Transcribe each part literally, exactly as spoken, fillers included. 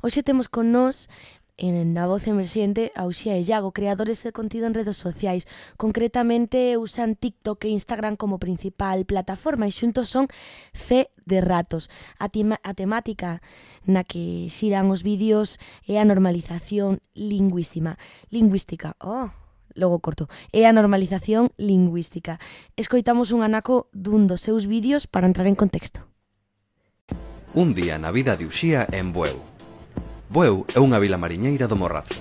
Hoxe temos con nós en Na Voz Emerxente a Uxía e Iago, creadores de contido en redes sociais. Concretamente usan TikTok e Instagram como principal plataforma e xuntos son C de Ratos. A, tima, a temática na que xiran os vídeos é a normalización lingüística. Lingüística, oh, logo corto. É a normalización lingüística. Escoitamos un anaco dun dos seus vídeos para entrar en contexto. Un día na vida de Uxía en Bueu. Bueu é unha vila mariñeira do Morrazo.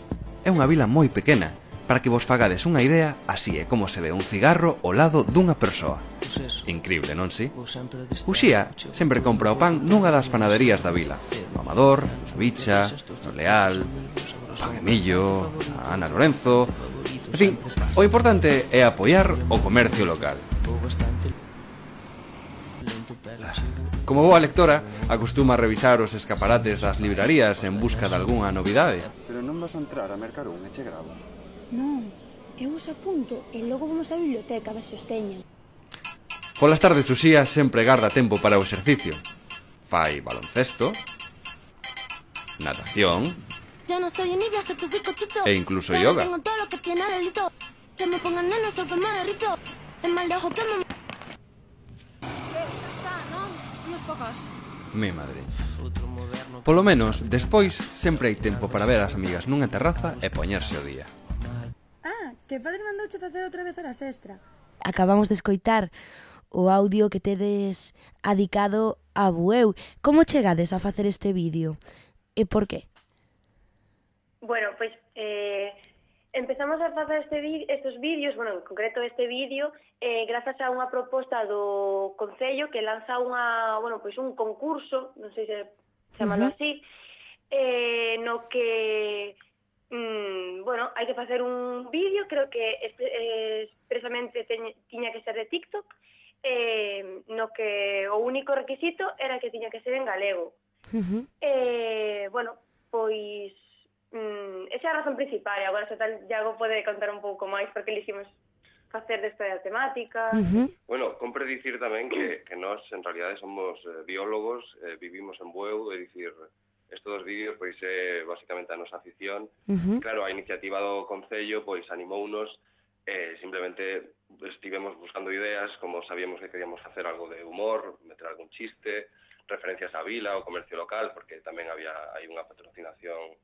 É unha vila moi pequena. Para que vos fagades unha idea, así é como se ve un cigarro ao lado dunha persoa. Increíble, non si? Uxía sempre compra o pan nunha das panaderías da vila. No Amador, no Bicha, no Leal, Pan e Millo, a Ana Lorenzo... En fin, o importante é apoiar o comercio local. Como boa lectora, acostuma a revisar os escaparates das librarías en busca de algunha novidade. Pero non vas a entrar a mercar un, e che gravo. Non, eu os apunto e logo vamos á biblioteca a ver se os teñen. Polas tardes Uxía sempre garda tempo para o exercicio. Fai baloncesto, natación e incluso yoga. Mi madre. Polo menos, despois, sempre hai tempo para ver as amigas nunha terraza e poñerse o día. Ah, que padre mandouche facer outra vez horas extra. Acabamos de escoitar o audio que tedes adicado a Bueu. Como chegades a facer este vídeo? E por qué? Bueno, pois eh, empezamos a facer este estes vídeos, bueno, en concreto este vídeo, eh, grazas a unha proposta do Concello que lanza unha, bueno, pois un concurso, non sei se chamalo uh -huh. así, eh, no que, mm, bueno, hai que facer un vídeo, creo que expre, eh, expresamente teñ, tiña que ser de TikTok, eh, no que o único requisito era que tiña que ser en galego. Uh -huh. eh, bueno, pois Mm, esa é a razón principal, e agora se tal Iago pode contar un pouco máis porque elegimos facer desta temática. Uh -huh. Bueno, compre dicir tamén que, que nós en realidade somos eh, biólogos, eh, vivimos en Bueu, é dicir, estes dos vídeos pois é basicamente a nosa afición. Uh -huh. Claro, a iniciativa do Concello pois animounos, eh, simplemente estivemos buscando ideas, como sabíamos que queríamos facer algo de humor, meter algún chiste, referencias á vila, ao comercio local, porque tamén había hai unha patrocinación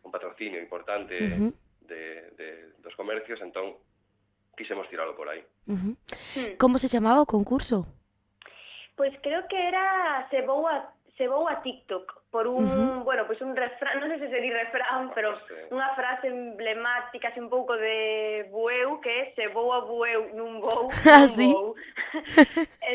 un patrocinio importante uh -huh. de, de, dos comercios, entón quixemos tiralo por aí. Uh -huh. mm. Como se chamaba o concurso? Pois creo que era Se vou a, se vou a TikTok, por un, uh -huh. bueno, pois un refrán, non sei se sería refrán, pero sí. Unha frase emblemática, así un pouco de Bueu, que é se vou a Bueu, nun vou, nun ¿sí? vou.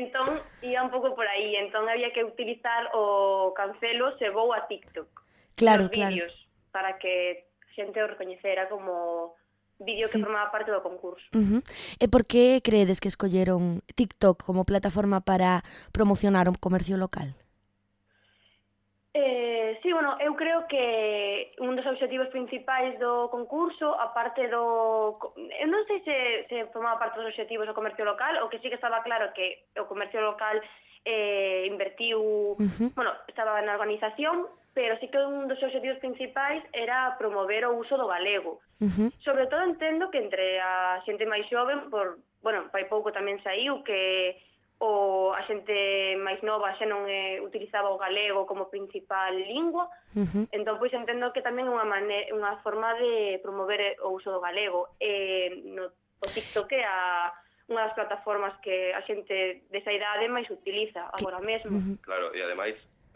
Entón, ia un pouco por aí, entón había que utilizar o cancelo se vou a TikTok. Claro, claro. Vídeos, para que a xente o recoñecera como vídeo que sí. formaba parte do concurso. Uh -huh. E por que creedes que escolleron TikTok como plataforma para promocionar o comercio local? Eh, sí, bueno, eu creo que un dos obxectivos principais do concurso, aparte do... Eu non sei se, se formaba parte dos obxectivos do comercio local, o que sí que estaba claro que o comercio local eh, invertiu... Uh -huh. Bueno, estaba na organización, pero sí que un dos obxectivos principais era promover o uso do galego. Uh -huh. Sobre todo entendo que entre a xente máis xoven, por, bueno, pai pouco tamén saiu que o a xente máis nova xa non eh, utilizaba o galego como principal lingua, uh -huh. entón pois entendo que tamén é unha, maneira, unha forma de promover o uso do galego. E no, o TikTok é a unha das plataformas que a xente desa idade máis utiliza agora mesmo. Uh -huh. Claro, e ademais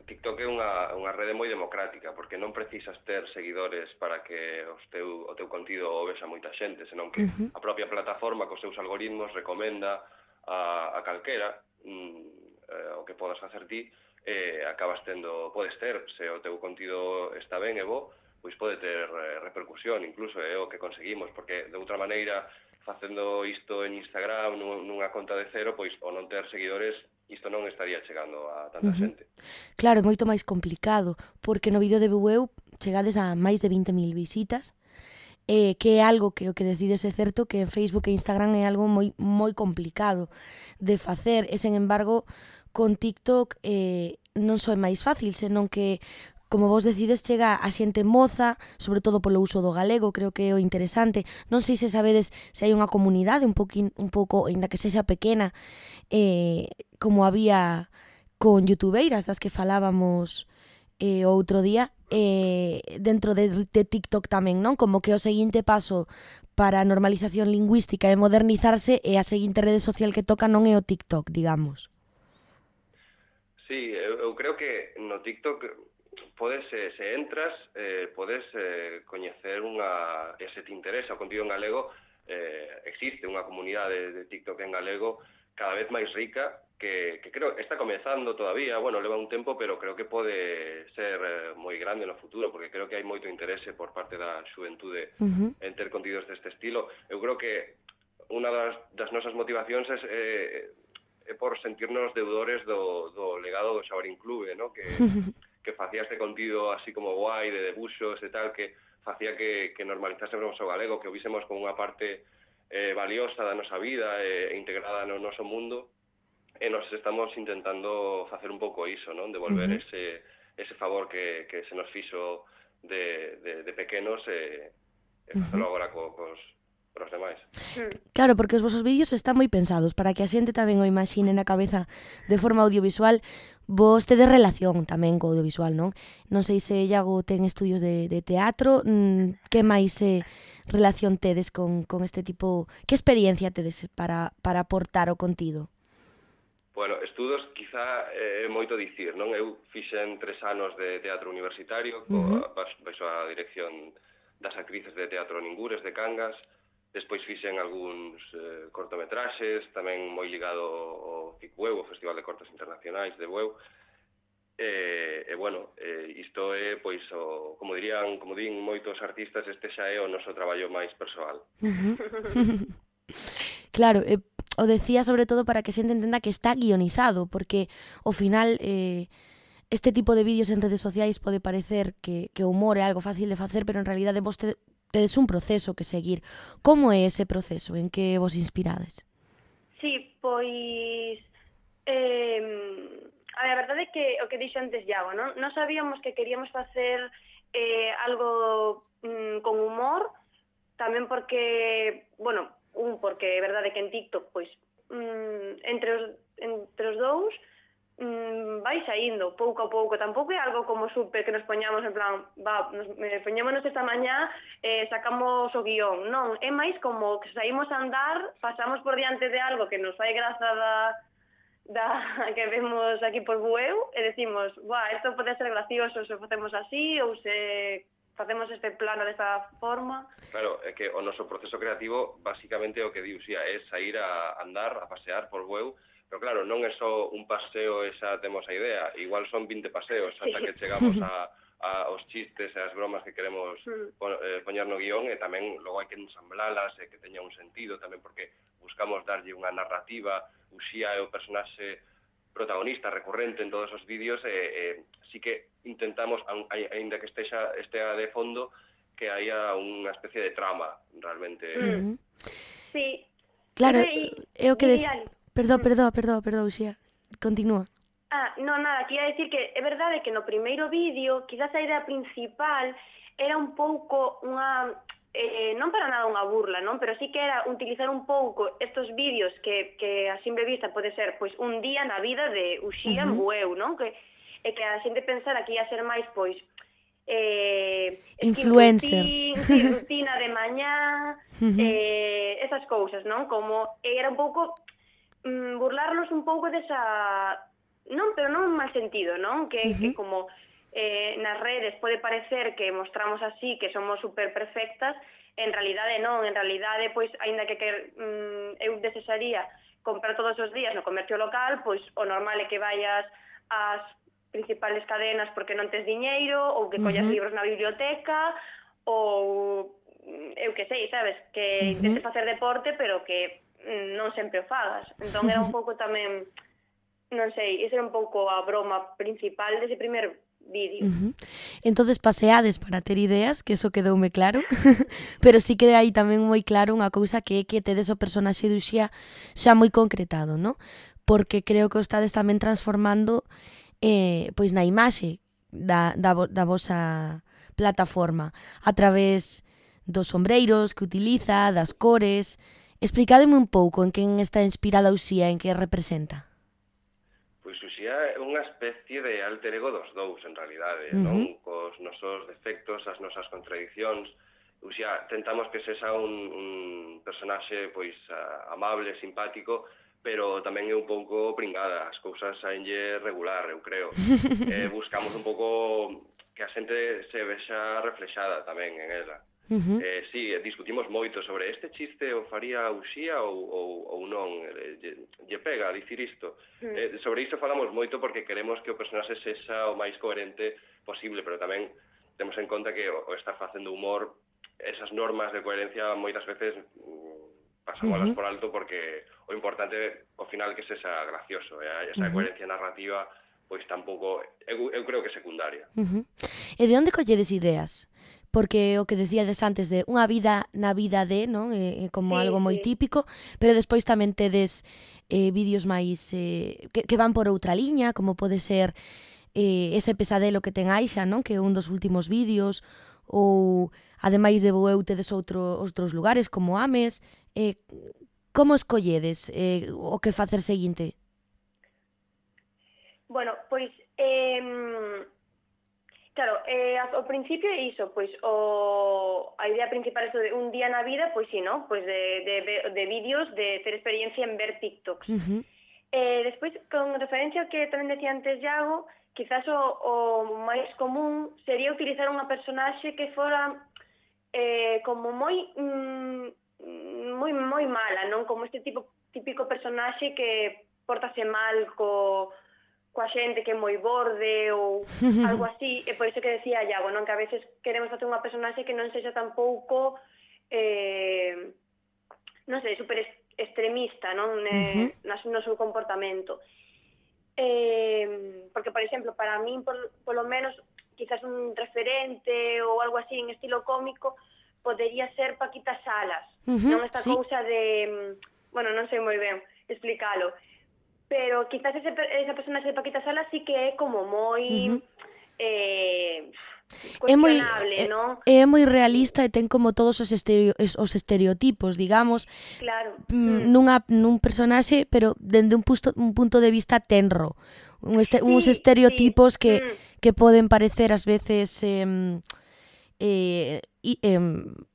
TikTok é unha, unha rede moi democrática, porque non precisas ter seguidores para que os teu, o teu contido o vexa moita xente, senón que uh -huh. a propia plataforma cos seus algoritmos recomenda a, a calquera mm, eh, o que podas facer ti, eh, acabas tendo, podes ter, se o teu contido está ben e bo, pois pode ter eh, repercusión, incluso é o que conseguimos, porque de outra maneira, facendo isto en Instagram nunha conta de cero, pois o non ter seguidores, isto non estaría chegando a tanta uh -huh. xente. Claro, é moito máis complicado, porque no vídeo de Bueu chegades a máis de vinte mil visitas, eh, que é algo que o que decides é certo que en Facebook e Instagram é algo moi moi complicado de facer, e sen embargo con TikTok eh, non só é máis fácil, senón que como vos decides, chega a xente moza, sobre todo polo uso do galego, creo que é o interesante. Non sei se sabedes se hai unha comunidade un, poquín, un pouco, ainda que sexa pequena, eh, como había con youtubeiras das que falábamos eh, outro día, eh, dentro de, de TikTok tamén, non? Como que o seguinte paso para a normalización lingüística e modernizarse e a seguinte rede social que toca non é o TikTok, digamos. Sí, eu, eu creo que no TikTok podes, eh, se entras, eh, podes eh, coñecer unha, e se te interesa o contido en galego, eh, existe unha comunidade de TikTok en galego cada vez máis rica, que, que creo que está comezando todavía, bueno, leva un tempo, pero creo que pode ser eh, moi grande no futuro, porque creo que hai moito interese por parte da xuventude uh-huh. en ter contidos deste estilo. Eu creo que unha das, das nosas motivacións é, eh, é por sentirnos deudores do, do legado do Xabarín Clube, ¿no? que, que facía este contido así como guai, de debuxos e tal, que facía que, que normalizásemos o galego, que o vísemos como unha parte eh, valiosa da nosa vida e eh, integrada no noso mundo, e nos estamos intentando facer un pouco iso, non? Devolver uh-huh. ese, ese favor que, que se nos fixo de, de, de pequenos e, e facelo uh-huh. agora co, cos, cos demais. Claro, porque os vosos vídeos están moi pensados para que a xente tamén o imagine na cabeza de forma audiovisual. Vos tedes relación tamén co audiovisual, non? Non sei se Iago ten estudios de, de teatro, que máis eh, relación tedes con, con este tipo, que experiencia tedes para, para aportar o contido? Bueno, estudos quizá é eh, moito dicir, non? Eu fixen tres anos de teatro universitario, uh-huh. baixo a dirección das actrices de Teatro Ningures de Cangas. Despois fixen algúns eh, cortometraxes, tamén moi ligado ao F I C Bueu, o Festival de Cortos Internacionais de Bueu. E, e bueno, eh, isto é, pois, o, como dirían, como din moitos artistas, este xa é o noso traballo máis persoal. Uh-huh. Claro, eh, o decía sobre todo para que a xente entenda que está guionizado, porque ao final eh, este tipo de vídeos en redes sociais pode parecer que, que o humor é algo fácil de facer, pero en realidade vos te, tedes un proceso que seguir. Como é ese proceso? En que vos inspirades? Sí, pois... Eh, a verdade é que o que dixo antes Iago, non? Non sabíamos que queríamos facer eh, algo mm, con humor, tamén porque, bueno, un, porque é verdade que en TikTok, pois, mm, entre, os, entre os dous, mm, vai saindo pouco a pouco. Tampouco é algo como super que nos poñamos en plan, va, nos, eh, poñémonos esta mañá, eh, sacamos o guión. Non, é máis como que saímos a andar, pasamos por diante de algo que nos fai graza da, da que vemos aquí por Bueu, e decimos, buah, isto pode ser gracioso se facemos así, ou se facemos este plano desta forma. Claro, é que o noso proceso creativo basicamente o que di Uxía é sair a andar, a pasear por Bueu, pero claro, non é só un paseo e xa temos a idea, igual son vinte paseos ata sí. que chegamos a, a os chistes e as bromas que queremos mm. pon, eh, poñer no guión, e tamén logo hai que ensamblalas e que teña un sentido tamén, porque buscamos darlle unha narrativa. Uxía é o personaxe protagonista recurrente en todos os vídeos, e eh, sí que intentamos, aínda que estexa estea de fondo, que haya unha especie de trama realmente. Mm. Sí. Claro, é o que de... Perdón, perdón, perdón, perdón, Uxía. Continúa. Ah, non, nada, quería decir que é verdade que no primeiro vídeo, quizás a idea principal era un pouco unha... Eh, non para nada unha burla, non? Pero sí que era utilizar un pouco estos vídeos que, que a simple vista pode ser pois un día na vida de Uxía en Bueu, non? Que, e que a xente pensara que ia ser máis, pois, eh, influencer, rutina, rutina de mañá, uh-huh. eh, esas cousas, non? Como era un pouco mm, burlarnos un pouco desa... Non, pero non en mal sentido, non? Que, uh-huh. que como... Eh, nas redes pode parecer que mostramos así, que somos super perfectas, en realidade non, en realidade, pois, aínda que, que mm, eu desearía comprar todos os días no comercio local, pois o normal é que vayas ás principales cadenas porque non tes diñeiro, ou que collas uh-huh. libros na biblioteca, ou eu que sei, sabes, que uh-huh. intentes facer deporte, pero que mm, non sempre o fagas. Entón era un pouco tamén, non sei, esa era un pouco a broma principal dese primer vídeo. Uh-huh. Entonces paseades para ter ideas, que eso quedoume claro, pero sí que aí tamén moi claro unha cousa, que é que tedes o personaxe de Uxía xa moi concretado, ¿no? Porque creo que o estades tamén transformando eh, pois na imaxe da, da, da vosa plataforma a través dos sombreiros que utiliza, das cores. Explicádeme un pouco en quen está inspirada Uxía, en que representa. Pois Uxía é unha especie de alter ego dos dous, en realidade, Uh-huh. non? Cos nosos defectos, as nosas contradicións. Uxía, tentamos que sexa un, un personaxe pois amable, simpático, pero tamén é un pouco pringada, as cousas saenlle regular, eu creo. eh, buscamos un pouco que a xente se vexa reflexada tamén en ela. Uh-huh. Eh, sí, discutimos moito sobre este chiste o faría Uxía ou, ou, ou non, eh, lle, lle pega dicir isto. Mm. Eh, sobre isto falamos moito porque queremos que o personaxe sexa o máis coherente posible, pero tamén temos en conta que o, o estar facendo humor, esas normas de coherencia moitas veces mm, pasamos Uh-huh. por alto porque o importante ao final que sexa gracioso, eh? Esa Uh-huh. coherencia narrativa pois tampouco, eu, eu creo que é secundaria. Uh-huh. E de onde colledes ideas? Porque o que decíades antes de unha vida na vida de, non? É, é como Sí, algo moi sí. típico, pero despois tamén tedes eh, vídeos máis eh, que, que van por outra liña, como pode ser eh, ese pesadelo que ten Aixa, non? Que é un dos últimos vídeos, ou ademais de Bueu tedes outro, outros lugares como Ames. Eh, como escolledes eh, o que facer seguinte? Bueno, pois, eh, claro, eh, ao principio é iso, pois, o, a idea principal é de un día na vida, pois sí, ¿no? Pois de, de, de vídeos, de ter experiencia en ver TikToks. Uh-huh. Eh, despois, con referencia ao que tamén decía antes Iago, quizás o, o máis común sería utilizar unha personaxe que fora eh, como moi mm, moi moi mala, non? Como este tipo típico personaxe que portase mal co coa xente que é moi borde ou algo así, e por iso que decía Iago, non? Que a veces queremos facer unha personaxe que non sexa tampouco eh, non sei, super extremista, non? Eh, uh-huh. no seu comportamento. Eh, porque, por exemplo, para min, por, polo menos, quizás un referente ou algo así en estilo cómico podería ser Paquita Salas, Uh-huh, non esta sí. cousa de, bueno, non sei moi ben explicalo, pero quizás ese, esa personaxe de Paquita Salas sí que é como moi Uh-huh. eh, É moi, cuestionable, é, non? é moi realista e ten como todos os, estereo, os estereotipos, digamos, Claro. mm, nunha, nun personaxe, pero dende un, pusto, un punto de vista tenro. Un este, Sí, uns estereotipos sí. que, Mm. que poden parecer ás veces eh, eh, e, eh,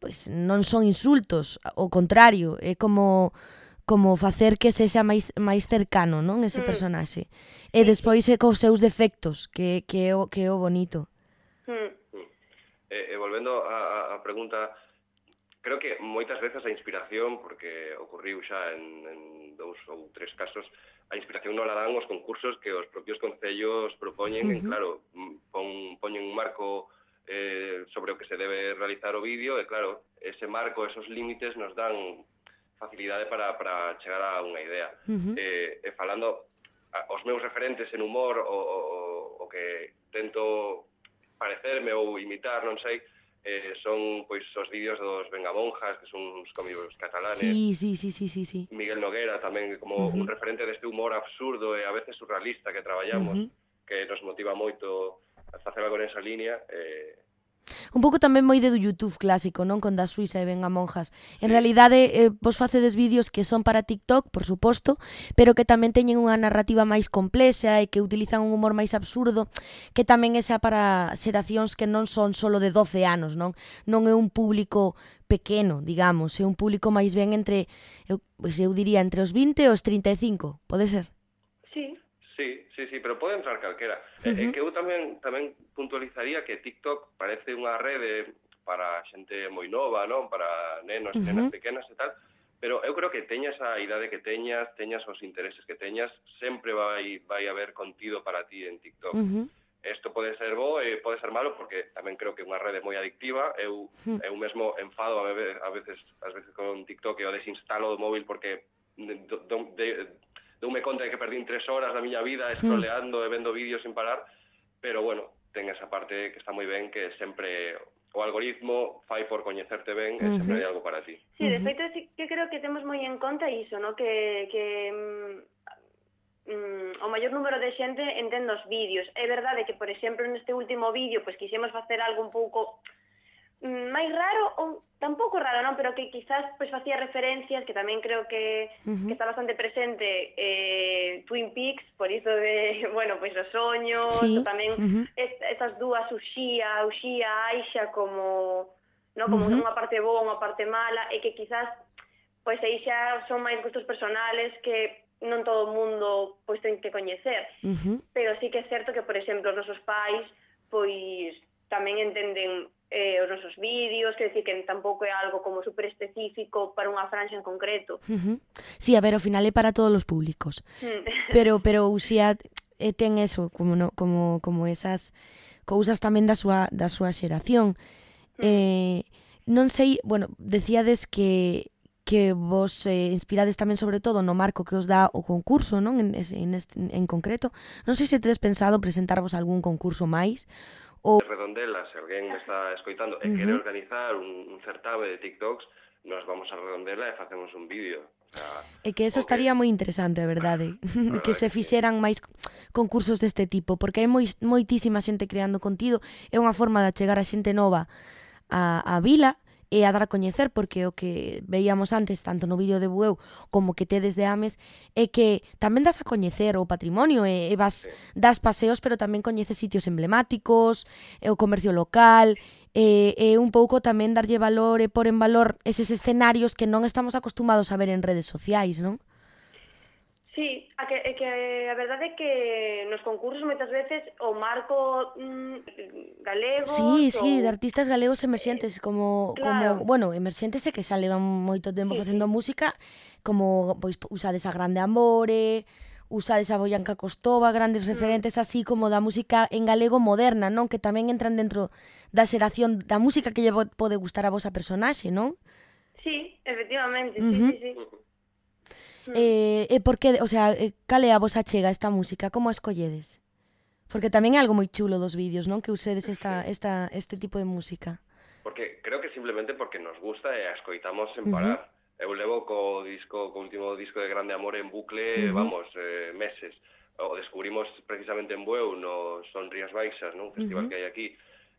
pues, non son insultos, ao contrario, é como como facer que sexa máis máis cercano, non, ese Mm. personaxe. E despois é cos seus defectos, que que é o que é o bonito. Mm. E, e volvendo a, a pregunta, creo que moitas veces a inspiración, porque ocurriu xa en, en dous ou tres casos, a inspiración non la dan os concursos que os propios concellos propoñen, uh-huh. En claro, pon, poñen un marco eh, sobre o que se debe realizar o vídeo, e claro, ese marco, esos límites nos dan facilidade para, para chegar a unha idea. Uh-huh. E, e falando, a, os meus referentes en humor, o, o, o que tento parecerme ou imitar, non sei, eh, son pois os vídeos dos Vengamonjas, que son uns cómicos catalanes. Sí, sí, sí, sí, sí, sí. Miguel Noguera tamén como uh-huh. un referente deste humor absurdo e a veces surrealista que traballamos, uh-huh. que nos motiva moito a facer algo nesa línea. Eh, Un pouco tamén moi de do YouTube clásico, non? Con da Suiza e Vengamonjas. En realidade, eh, vos facedes vídeos que son para TikTok, por suposto, pero que tamén teñen unha narrativa máis complexa e que utilizan un humor máis absurdo, que tamén é xa para xeracións que non son solo de doce anos, non? Non é un público pequeno, digamos, é un público máis ben entre, eu, pois eu diría, entre os vinte e os trinta e cinco, pode ser? Sí. Sí, sí, sí, pero pode entrar calquera. Uh-huh. É que eu tamén tamén puntualizaría que TikTok parece unha rede para xente moi nova, non? Para nenos, uh-huh. nenas pequenas e tal, pero eu creo que teñas a idade que teñas, teñas os intereses que teñas, sempre vai vai haber contido para ti en TikTok. Uh-huh. Isto pode ser bo e pode ser malo porque tamén creo que é unha rede moi adictiva. Eu uh-huh. eu mesmo enfado a veces, a veces, ás veces con TikTok e o desinstalo do móvil porque de, de, de doume conta de que perdín tres horas da miña vida scrolleando e vendo vídeos sin parar, pero bueno, ten esa parte que está moi ben, que sempre o algoritmo fai por coñecerte ben e uh-huh. sempre hai algo para ti. Sí, de feito, sí que creo que temos moi en conta iso, ¿no? Que, que mm, o maior número de xente entende os vídeos. É verdade que, por exemplo, neste último vídeo, pois quixemos facer algo un pouco máis raro, ou tampouco raro, non, pero que quizás pois facía referencias, que tamén creo que, Uh-huh. que está bastante presente eh, Twin Peaks, por iso de, bueno, pois os soños, Sí. o tamén Uh-huh. est, estas dúas, Uxía, Uxía, Aixa, como, no, como Uh-huh. unha parte boa, unha parte mala, e que quizás pois aí xa son máis gustos personales que non todo o mundo pois ten que coñecer. Uh-huh. Pero sí que é certo que, por exemplo, os nosos pais pois tamén entenden eh, os nosos vídeos, que decir que tampouco é algo como super específico para unha franja en concreto. Uh-huh. Sí, a ver, ao final é para todos os públicos. Mm. Pero pero Uxía eh, ten eso, como no, como como esas cousas tamén da súa da súa xeración. Eh, non sei, bueno, decíades que que vos eh, inspirades tamén sobre todo no marco que os dá o concurso, non? En, en, este, en concreto. Non sei se tedes pensado presentarvos algún concurso máis ou... Redondela, se alguén me está escoitando e Uh-huh. quere organizar un, un certame de TikToks, nos vamos a Redondela e facemos un vídeo. O sea, É que eso o que- estaría moi interesante, a verdade, verdade que se que sí. fixeran máis concursos deste tipo, porque hai moi, moitísima xente creando contido, é unha forma de achegar a xente nova a, a vila e a dar a coñecer, porque o que veíamos antes, tanto no vídeo de Bueu como que tedes de Ames, é que tamén das a coñecer o patrimonio, e, e vas, das paseos, pero tamén coñeces sitios emblemáticos, e o comercio local, e, e un pouco tamén darlle valor e por en valor eses escenarios que non estamos acostumados a ver en redes sociais, non? Sí, a que, é que a verdade é que nos concursos moitas veces o marco mm, galego... Sí, sí, ou... de artistas galegos emerxentes, como, claro. como bueno, emerxentes é que xa levan moito tempo Sí, facendo sí. música, como pois usades a Grande Amore, usades a Boianca Costova, grandes referentes así como da música en galego moderna, non? Que tamén entran dentro da xeración da música que lle po- pode gustar a vosa personaxe, non? Sí, efectivamente, Ujú. sí, sí, sí. Mm. Eh, e por que, o sea, eh, cal é a vosa chega esta música? Como a escolledes? Porque tamén é algo moi chulo dos vídeos, non? Que usedes esta, esta, este tipo de música. Porque creo que simplemente porque nos gusta e a escoitamos sen Ujú. parar. Eu levo co disco, co último disco de Grande Amor en bucle, Ujú. vamos, eh, meses. O descubrimos precisamente en Bueu, no Son Rías Baixas, non? Un festival Ujú. que hai aquí,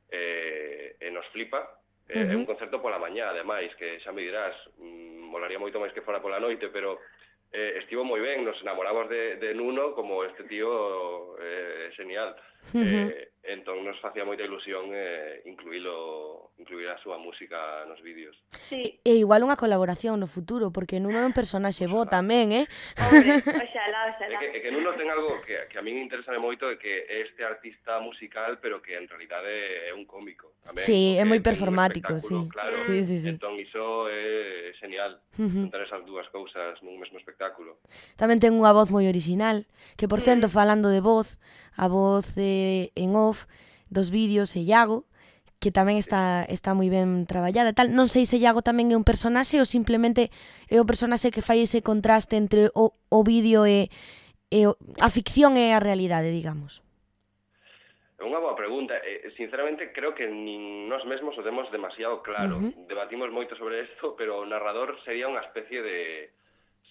eh, e nos flipa. Eh, Ujú. É un concerto pola mañá, ademais, que xa me dirás, mm, molaría moito máis que fora pola noite, pero eh, estivo moi ben, nos enamoramos de, de Nuno, como este tío é eh, genial. Ujú. Eh, entón nos facía moita ilusión eh, incluílo, incluir a súa música nos vídeos. Sí. E igual unha colaboración no futuro, porque Nuno é un personaxe bo tamén, eh? Hombre, oxalá, É oxalá. que, é que Nuno ten algo que, que a min interesa moito, é que é este artista musical, pero que en realidade é un cómico. Tamén, Sí, é porque moi ten un performático, espectáculo, sí. Claro. Sí, sí, sí. Entón iso é genial, Ujú. juntar esas dúas cousas nun mesmo espectáculo. Tamén ten unha voz moi orixinal, que por cento, falando de voz, a voz eh, en off dos vídeos é Iago, que tamén está está moi ben traballada e tal. Non sei se Iago tamén é un personaxe ou simplemente é o personaxe que fai ese contraste entre o, o vídeo e, e o, a ficción e a realidade, digamos. É unha boa pregunta. Eh, sinceramente, creo que nin nós mesmos o temos demasiado claro. Ujú. Debatimos moito sobre isto, pero o narrador sería unha especie de...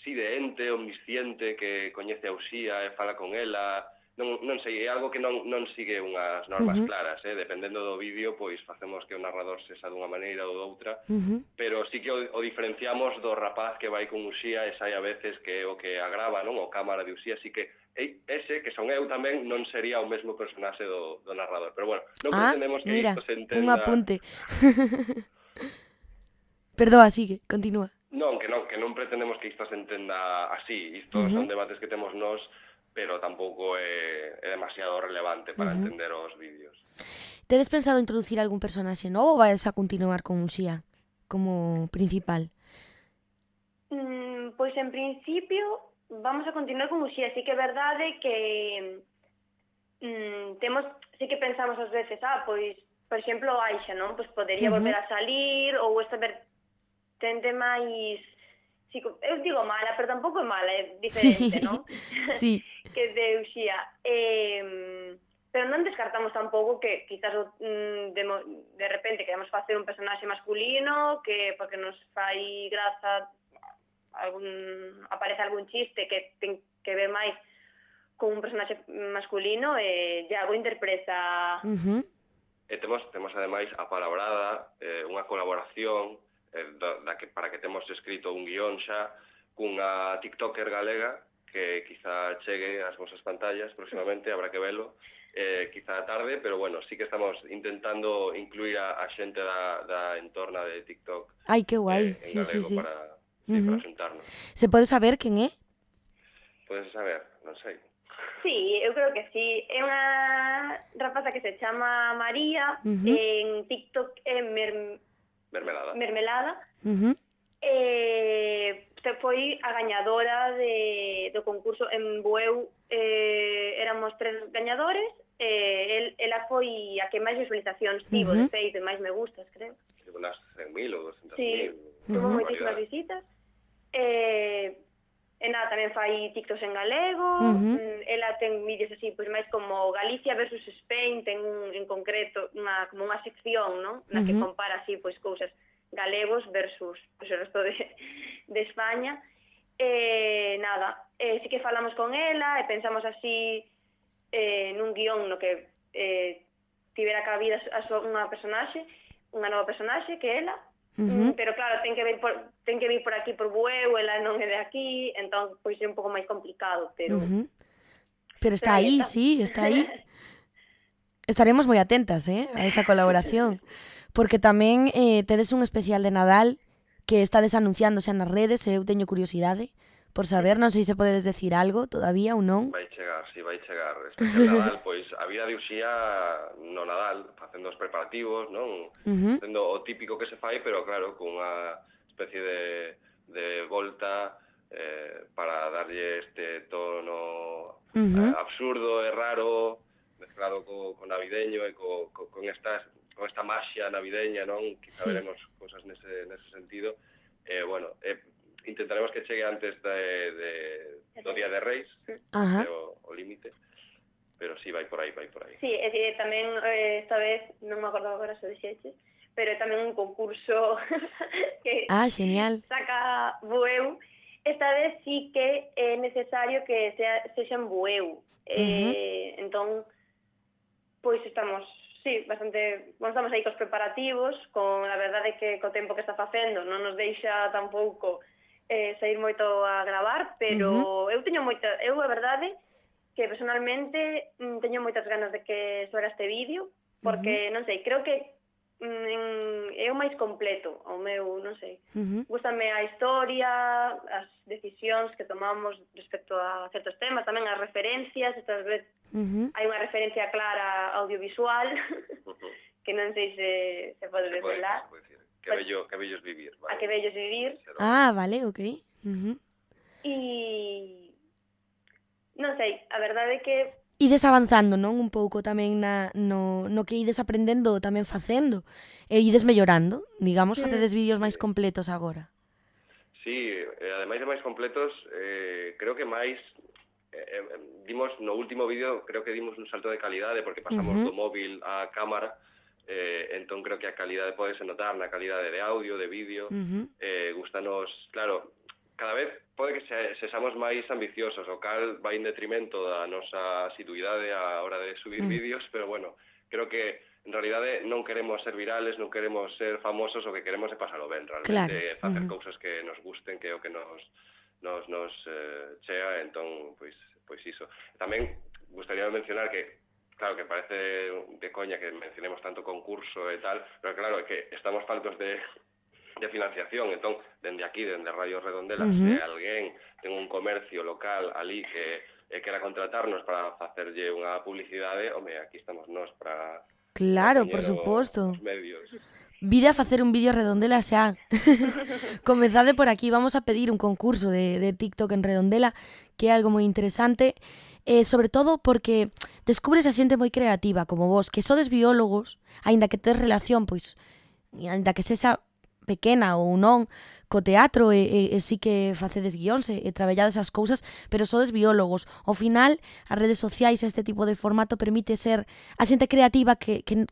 sí, de ente omnisciente que coñece a Uxía e fala con ela. Non, non sei, é algo que non, non sigue unhas normas Ujú. claras, eh? Dependendo do vídeo, pois facemos que o narrador sexa dunha maneira ou doutra, Ujú. pero sí que o, o diferenciamos do rapaz que vai con Uxía e sai a veces que é o que agrava, non? O cámara de Uxía, así que ei, ese, que son eu tamén, non sería o mesmo personaxe do, do narrador. Pero bueno, non Ah, pretendemos que mira, isto se un entenda... apunte. Perdoa, sigue, continúa. Non, que non, que non pretendemos que isto se entenda así. Isto Ujú. son debates que temos nós, pero tampouco é, é demasiado relevante para Ujú. entender os vídeos. Tedes pensado introducir algún personaxe novo ou vais a continuar con Uxía como principal? Mm, pois en principio vamos a continuar con Uxía, sí que é verdade que mm, temos, sí que pensamos ás veces, ah, pois, por exemplo, Aixa, non? Pois podería Ujú. volver a salir, ou esta vertente máis, sí, eu digo mala, pero tampouco é mala, é diferente, non? Sí. Que de Uxía. Eh, pero non descartamos tampouco que quizás mm, de, mo- de repente queremos facer un personaxe masculino, que porque nos fai graza algún, aparece algún chiste que ten que ver máis con un personaxe masculino e Iago interpreta... Uh-huh. E temos, temos ademais a Palabrada, eh, unha colaboración eh, da, da que, para que temos escrito un guión xa cunha tiktoker galega que quizá chegue ás vosas pantallas próximamente, habrá que velo, eh, quizá tarde, pero bueno, sí que estamos intentando incluir a, a xente da, da entorna de TikTok. Ai, que guai, eh, sí, en sí, galego sí. Para, sí, Uh-huh. para xuntarnos. Se pode saber quen é? Podes saber, non sei. Sí, eu creo que sí. É unha rapaza que se chama María, Uh-huh. en TikTok é mer... Mermelada. Mermelada, Uh-huh. e se foi a gañadora de, do concurso en Bueu, eh, éramos tres gañadores, e el, ela foi a que máis visualizacións tivo, Uh-huh. de feito, e máis me gustas, creo. Unas cen mil ou doscientos Sí, mil. tuvo Ujú. moitísimas visitas. Eh, e nada, tamén fai TikToks en galego. Ujú. Mm, ela ten vídeos así, pois máis como Galicia versus Spain, ten un, en concreto unha, como unha sección, non? Na que Ujú. compara así, pois cousas galegos versus pois, o resto de, de España. E nada, eh, sí que falamos con ela e pensamos así eh, nun guión no que eh, tivera cabida a súa, unha personaxe, unha nova personaxe que ela. Uh-huh. Mm, pero claro, ten que vir por ten que vir por aquí por Bueu, ela non é de aquí, entón pois é un pouco máis complicado, pero Uh-huh. Pero está Pero aí aí, está. sí, está aí. Estaremos moi atentas, eh, a esa colaboración. Porque tamén eh, tedes un especial de Nadal que estades anunciándose nas redes, e eu teño curiosidade por saber, non sei se podedes decir algo todavía ou non. Vai chegar, si, vai chegar. Especial Nadal, pois a vida de Uxía no Nadal, facendo os preparativos, non? Uh-huh. Facendo o típico que se fai, pero claro, con unha especie de, de volta eh, para darlle este tono Uh-huh. eh, absurdo e raro, mezclado co, co navideño e co, co, con estas con esta maxia navideña, non? Quizá Sí. veremos cosas nese, nese sentido. Eh, bueno, eh, intentaremos que chegue antes de, de, do Día de Reis, Ajá. o, o límite, pero sí, vai por aí, vai por aí. sí, é dicir, tamén eh, esta vez, non me acordo agora se o dixeches, pero é tamén un concurso que Ah, genial. saca Bueu. Esta vez sí que é necesario que sea, sexa en Bueu. Eh, entón, pois estamos, sí, bastante, bueno, estamos aí cos preparativos, con a verdade que co tempo que está facendo non nos deixa tampouco eh, sair moito a gravar, pero Ujú. eu teño moita, eu a verdade que personalmente mm, teño moitas ganas de que suera este vídeo, porque, non sei, creo que mm, é o máis completo, o meu, non sei. Uh-huh. Gústame a historia, as decisións que tomamos respecto a certos temas, tamén as referencias, estas veces Uh-huh. hai unha referencia clara audiovisual, Ujú. que non sei se, se pode Se pode, desvelar, se pode decir. Que bello, que bello es vivir. a que vellos vivir, Ah, vale, ok. Uh-huh. e non sei, a verdade é que Ides avanzando, non? Un pouco tamén na, no, no que ides aprendendo tamén facendo. E ides mellorando, digamos, Mm. facedes vídeos máis completos agora. Sí, eh, ademais de máis completos, eh, creo que máis eh, eh, dimos no último vídeo, creo que dimos un salto de calidade porque pasamos Ujú. do móvil á cámara, eh, entón creo que a calidade podese notar na calidade de audio, de vídeo. Uh-huh. Eh, gustanos, claro, cada vez pode que se, sexamos máis ambiciosos, o cal vai en detrimento da nosa asiduidade á hora de subir Mm. vídeos, pero bueno, creo que en realidade non queremos ser virales, non queremos ser famosos, o que queremos é pasalo ben, realmente, Claro, facer ujú. cousas que nos gusten, que é o que nos nos, nos eh, chea, entón, pois, pois iso. Tamén gustaría mencionar que, claro, que parece de coña que mencionemos tanto concurso e tal, pero claro, é que estamos faltos de, de financiación, entón, dende aquí, dende Radio Redondela, Ujú. se alguén ten un comercio local ali que e quera contratarnos para facerlle unha publicidade, home, aquí estamos nós para... Claro, para por poñer suposto. os medios. Vide a facer un vídeo Redondela xa. Comezade por aquí, vamos a pedir un concurso de, de TikTok en Redondela, que é algo moi interesante, eh, sobre todo porque descubres a xente moi creativa como vos, que sodes biólogos, aínda que tes relación, pois, aínda que sexa pequena ou non, co teatro e, e, e sí que facedes guións e, e traballades as cousas, pero sodes biólogos. Ao final, as redes sociais, este tipo de formato permite ser a xente creativa que, que,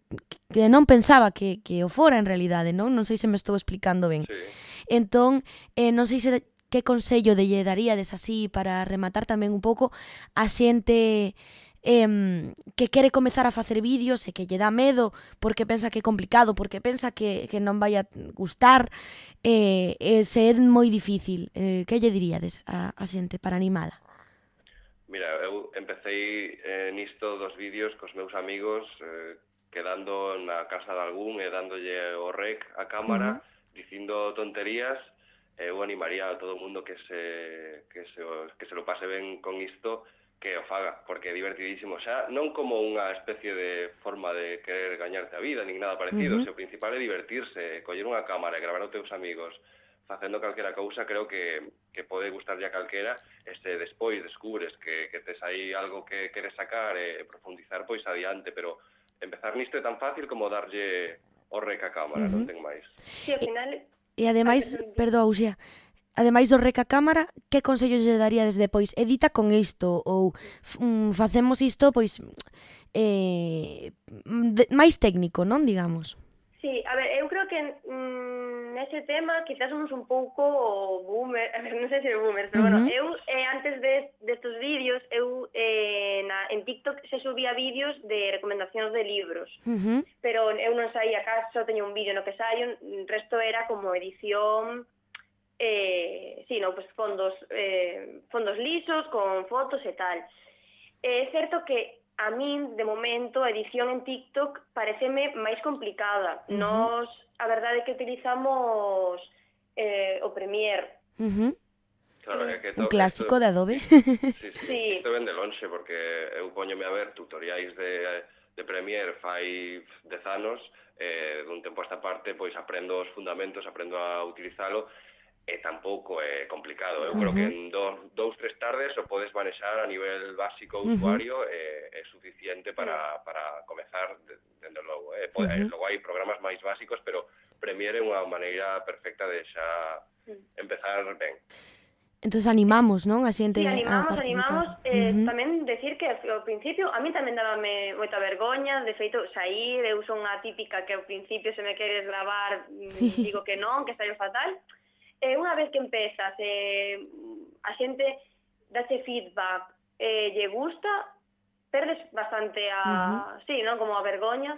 que non pensaba que, que o fora en realidade, non? Non sei se me estou explicando ben. Sí. Entón, eh, non sei se que consello de lle daríades así para rematar tamén un pouco a xente eh, que quere comezar a facer vídeos e que lle dá medo porque pensa que é complicado, porque pensa que, que non vai a gustar, eh, eh, se é moi difícil, eh, que lle diríades a, a xente para animala? Mira, eu empecé eh, nisto dos vídeos cos meus amigos, eh, quedando na casa de algún e dándolle o rec a cámara, uh-huh. dicindo tonterías. Eu animaría a todo o mundo que se, que, se, que se lo pase ben con isto, que o faga, porque é divertidísimo. Xa non como unha especie de forma de querer gañarte a vida, nin nada parecido, uh-huh. se o principal é divertirse, coller unha cámara e gravar aos teus amigos facendo calquera cousa, creo que, que pode gustarlle a calquera, e se despois descubres que, que tes aí algo que queres sacar e profundizar, pois adiante, pero empezar nisto é tan fácil como darlle o rec a cámara, uh-huh. non ten máis. Sí, ao final... E, e ademais, perdón, Uxía, ademais do rec a cámara, que consellos lle daría desde depois? Edita con isto, ou um, facemos isto, pois, eh, de, máis técnico, non, digamos? Sí, a ver, eu creo que mm, nese tema quizás somos un pouco boomer, a ver, non sei se boomer, pero uh-huh. bueno, eu eh, antes de destos vídeos, eu eh, na, en TikTok se subía vídeos de recomendacións de libros, uh-huh. pero eu non saía cá, só teño un vídeo no que saio, o resto era como edición, eh, sí, no, pues fondos, eh, fondos lisos, con fotos e tal. É certo que a min, de momento, a edición en TikTok pareceme máis complicada. Uh-huh. Nos, a verdade é que utilizamos eh, o Premiere. Uh-huh. Claro, é que un clásico esto, de Adobe. Sí, sí, sí. Isto ven de lonxe, porque eu poñome a ver tutoriais de, de Premiere fai dez anos, eh, dun tempo a esta parte, pois aprendo os fundamentos, aprendo a utilizalo, e tampouco é complicado. Eu uh-huh. creo que en dos, dous, tres tardes o podes manexar a nivel básico uh-huh. usuario e é suficiente para, para comezar, dende logo. Eh? Pode, uh-huh. Logo hai programas máis básicos, pero Premiere é unha maneira perfecta de xa empezar ben. Entón animamos, non? A xente sí, animamos, a animamos. Eh, uh-huh. Tamén decir que ao principio a mí tamén dábame moita vergoña, de feito, sair, eu son unha típica que ao principio se me queres gravar, digo que non, que saio fatal. Eh, unha vez que empezas, eh, a xente dache feedback, eh, lle gusta, perdes bastante a, uh-huh. sí, non, como a vergoña.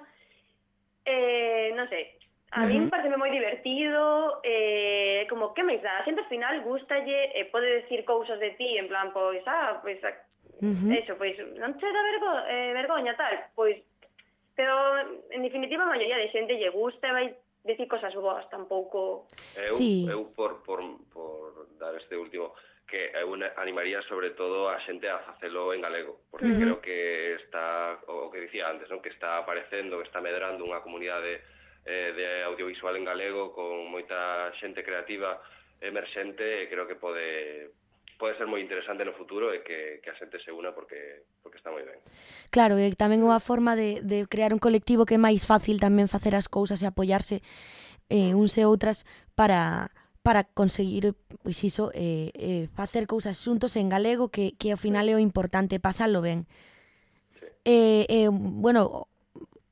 Eh, non sei, a uh-huh. mí parece moi divertido, eh, como que máis dá, a xente ao final gustalle, eh, pode decir cousas de ti, en plan, pois, ah, pois, uh-huh. eso, pois, non che dá vergo, eh, vergoña, tal, pois, pero, en definitiva, a maioría de xente lle gusta, vai decir cosas boas, tampouco... Eu, sí. eu por, por, por dar este último, que eu animaría sobre todo a xente a facelo en galego, porque uh-huh. creo que está, o que dicía antes, non? Que está aparecendo, que está medrando unha comunidade eh, de audiovisual en galego con moita xente creativa emerxente, e creo que pode... pode ser moi interesante no futuro e que, que a xente se una porque porque está moi ben. Claro, e tamén unha forma de, de crear un colectivo que é máis fácil tamén facer as cousas e apoiarse eh, uns e outras para, para conseguir, pois iso, eh, eh, facer cousas xuntos en galego que, que ao final é o importante, pasalo ben. Sí. Eh, eh, bueno,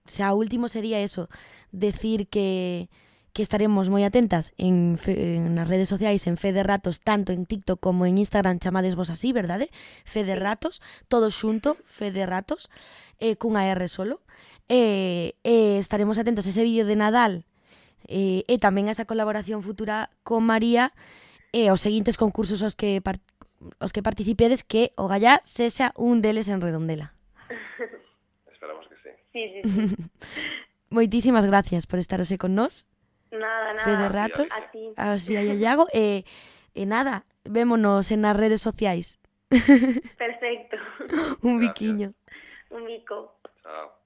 xa o último sería eso, decir que... que estaremos moi atentas en, fe, en nas redes sociais, en Fe de Ratos, tanto en TikTok como en Instagram, chamades vos así, verdade? Fe de Ratos, todo xunto, Fe de Ratos, eh, cunha R solo. Eh, eh, estaremos atentos a ese vídeo de Nadal eh, e tamén a esa colaboración futura con María e eh, aos seguintes concursos aos que, par, aos que participedes, que o gallá sexa un deles en Redondela. Esperamos que sí. Sí, sí, sí. Moitísimas gracias por estar hoxe con nós. Nada, nada. Fe de Ratos, a ti. Así a Iago, e, e nada, vémonos en as redes sociais. Perfecto. Un biquiño. Un bico. Chao.